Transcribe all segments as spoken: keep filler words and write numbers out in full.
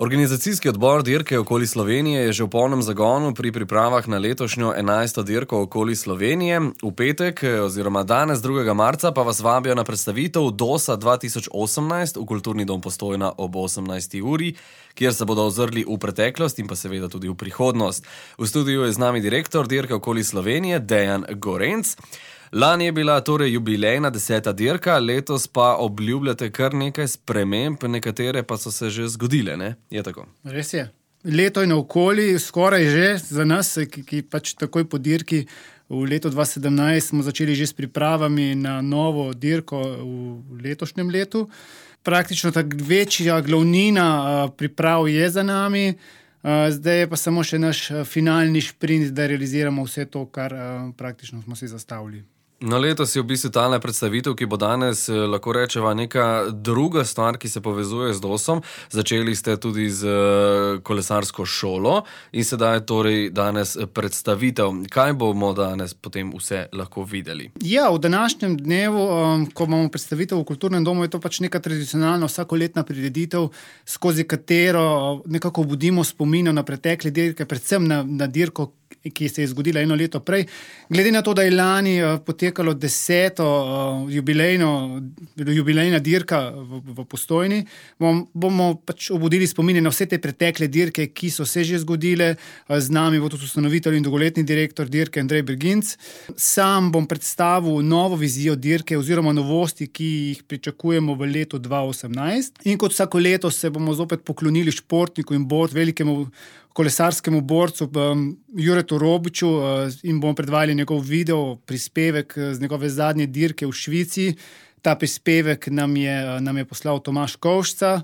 Organizacijski odbor dirke okoli Slovenije je že v polnem zagonu pri pripravah na letošnjo enajsto dirko okoli Slovenije. V petek oziroma danes drugega marca pa vas vabijo na predstavitev DOS-a dva tisoč osemnajst v Kulturni dom Postojna ob osemnajsti uri, kjer se bodo ozrli v preteklost in pa seveda tudi v prihodnost. V studiu je z nami direktor dirke okoli Slovenije Dejan Gorenc. Lani je bila torej jubilejna deseta dirka, letos pa obljubljate kar nekaj sprememb, nekatere pa so se že zgodile, ne? Je tako? Res je. Leto je naokoli, skoraj že za nas, ki, ki pač takoj po dirki v letu dva tisoč sedemnajst smo začeli že s pripravami na novo dirko v letošnjem letu. Praktično tak večja glavnina priprav je za nami, zdaj je pa samo še naš finalni šprint, da realiziramo vse to, kar praktično smo si zastavili. No, letos je v bistvu talna predstavitev, ki bo danes, lahko rečeva, neka druga stvar, ki se povezuje z DOS-om. Začeli ste tudi z kolesarsko šolo in sedaj torej danes predstavitev. Kaj bomo danes potem vse lahko videli? Ja, v današnjem dnevu, ko imamo predstavitev v Kulturnem domu, je to pač neka tradicionalna vsakoletna prireditev, skozi katero nekako budimo spomin na pretekle dirke, predvsem na, na dirko, ki se je zgodila eno leto prej. Glede na to, da je lani potekalo deseto jubilejno, jubilejna dirka v, v Postojni, bom, bomo pač obudili spomine na vse te pretekle dirke, ki so se že zgodile. Z nami bo tudi ustanovitelj in dolgoletni direktor dirke Andrej Berginc. Sam bom predstavil novo vizijo dirke oziroma novosti, ki jih pričakujemo v letu dva tisoč osemnajst. In kot vsako leto se bomo zopet poklonili športniku in bord, velikemu kolesarskemu borcu Juretu Robiču in bomo predvajali njegov video prispevek z njegove zadnje dirke v Švici. Ta prispevek nam je, nam je poslal Tomaž Kovšca.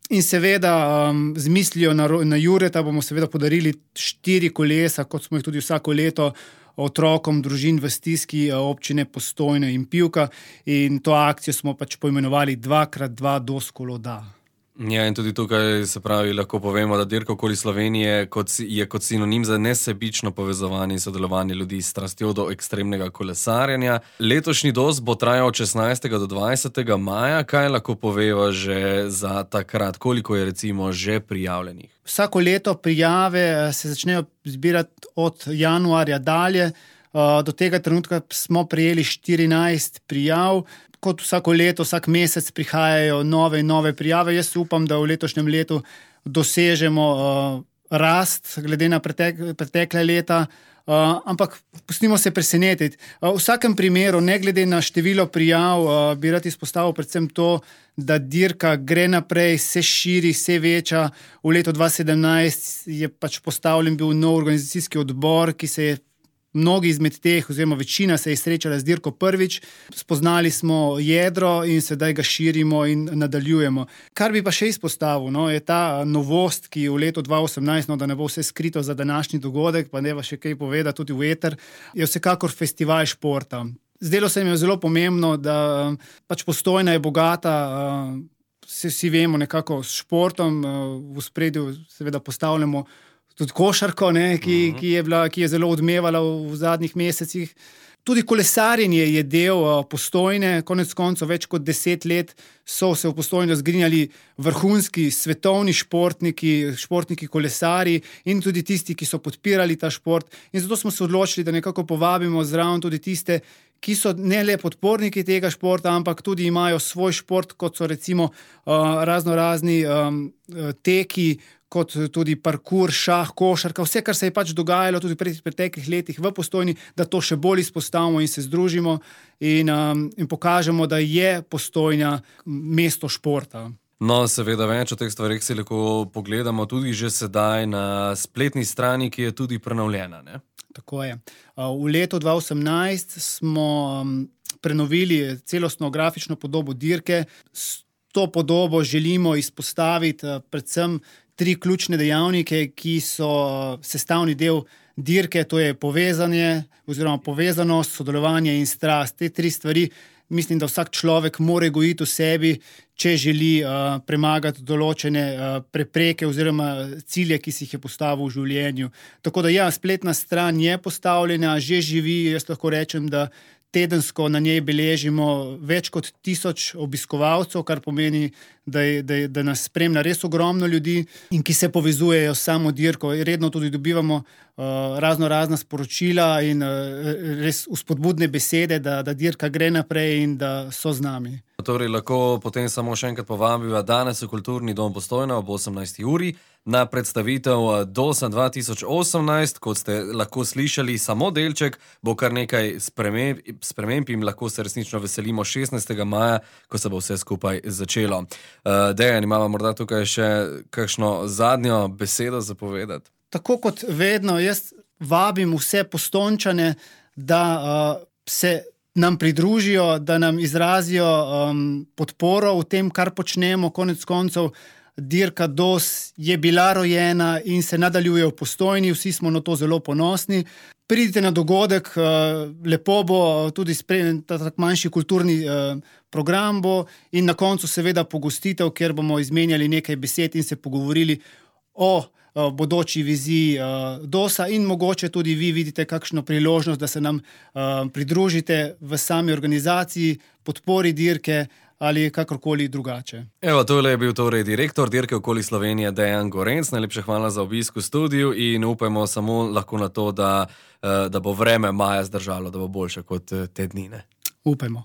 In seveda z mislijo na, na Jureta bomo seveda podarili štiri kolesa, kot smo jih tudi vsako leto, otrokom družin v stiski občine Postojna in Pivka. In to akcijo smo pač poimenovali dva krat dva DOS kolo da. Ja, in tudi tukaj se pravi, lahko povemo, da dirka okoli Slovenije kot, je kot sinonim za nesebično povezovanje in sodelovanje ljudi s strastjo do ekstremnega kolesarjenja. Letošnji DOS bo trajal od šestnajstega do dvajsetega maja. Kaj lahko poveva že za takrat? Koliko je recimo že prijavljenih? Vsako leto prijave se začnejo zbirati od januarja dalje. Do tega trenutka smo prejeli štirinajst prijav. Kot vsako leto, vsak mesec prihajajo nove in nove prijave. Jaz upam, da v letošnjem letu dosežemo uh, rast glede na pretek, pretekle leta, uh, ampak pustimo se presenetiti. Uh, v vsakem primeru, ne glede na število prijav, uh, bi rad izpostavil predvsem to, da dirka gre naprej, se širi, se veča. V letu dva tisoč sedemnajst je pač postavljen bil nov organizacijski odbor, ki se je mnogi izmed teh, oziroma večina se je srečala z dirko prvič. Spoznali smo jedro in sedaj ga širimo in nadaljujemo. Kar bi pa še izpostavil, no, je ta novost, ki v letu dva tisoč osemnajst, no, da ne bo vse skrito za današnji dogodek, pa ne va še kaj povedati tudi v eter, je vsekakor festival športa. Zdelo se mi je zelo pomembno, da pač Postojna je bogata, vsi, vsi vemo nekako s športom, v ospredju seveda postavljamo tudi košarko, ne, ki, uh-huh. ki, je bila, ki je zelo odmevala v, v zadnjih mesecih. Tudi kolesarjenje je del Postojne, konec koncev več kot deset let so se v Postojno zgrinjali vrhunski svetovni športniki, športniki kolesari in tudi tisti, ki so podpirali ta šport. In zato smo se odločili, da nekako povabimo zraven tudi tiste, ki so ne le podporniki tega športa, ampak tudi imajo svoj šport, kot so recimo uh, razno razni um, teki, kot tudi parkour, šah, košarka, vse, kar se je pač dogajalo tudi v preteklih letih v Postojni, da to še bolj izpostavimo in se združimo in, um, in pokažemo, da je Postojna mesto športa. No, seveda več o teh stvareh si lahko pogledamo tudi že sedaj na spletni strani, ki je tudi prenovljena, ne? Tako je. V letu dva tisoč osemnajst smo prenovili celostno grafično podobo dirke. S to podobo želimo izpostaviti predvsem tri ključne dejavnike, ki so sestavni del dirke, to je povezanje oziroma povezanost, sodelovanje in strast. Te tri stvari mislim, da vsak človek mora gojiti v sebi, če želi uh, premagati določene uh, prepreke oziroma cilje, ki si jih je postavil v življenju. Tako da ja, spletna stran je postavljena, že živi, jaz lahko rečem, da tedensko na njej beležimo več kot tisoč obiskovalcev, kar pomeni, da, je, da, je, da nas spremlja res ogromno ljudi in ki se povezujejo s samo dirko. Redno tudi dobivamo uh, razno razna sporočila in uh, res vzpodbudne besede, da, da dirka gre naprej in da so z nami. Torej, lahko potem samo še enkrat povabiva danes v Kulturni dom Postojna ob osemnajsti uri na predstavitev Dosa dva tisoč osemnajst. Kot ste lahko slišali, samo delček, bo kar nekaj sprememb, sprememb in lahko se resnično veselimo šestnajstega maja, ko se bo vse skupaj začelo. Uh, Dejan, imamo morda tukaj še kakšno zadnjo besedo za povedati? Tako kot vedno, jaz vabim vse Postojnčane, da uh, se nam pridružijo, da nam izrazijo um, podporo v tem, kar počnemo. Konec koncev, dirka Dos je bila rojena in se nadaljuje v Postojni, vsi smo na to zelo ponosni. Pridite na dogodek, uh, lepo bo, tudi spremljen ta tak manjši kulturni uh, program bo in na koncu seveda pogostitev, kjer bomo izmenjali nekaj besed in se pogovorili o bodoči viziji uh, Dosa in mogoče tudi vi vidite kakšno priložnost, da se nam uh, pridružite v sami organizaciji, podpori dirke ali kakorkoli drugače. Evo, tole je bil torej direktor dirke Okoli Slovenije Dejan Gorenc. Najlepša hvala za obisk v studiu in upajmo samo lahko na to, da, uh, da bo vreme maja zdržalo, da bo boljše kot te dni. Upajmo.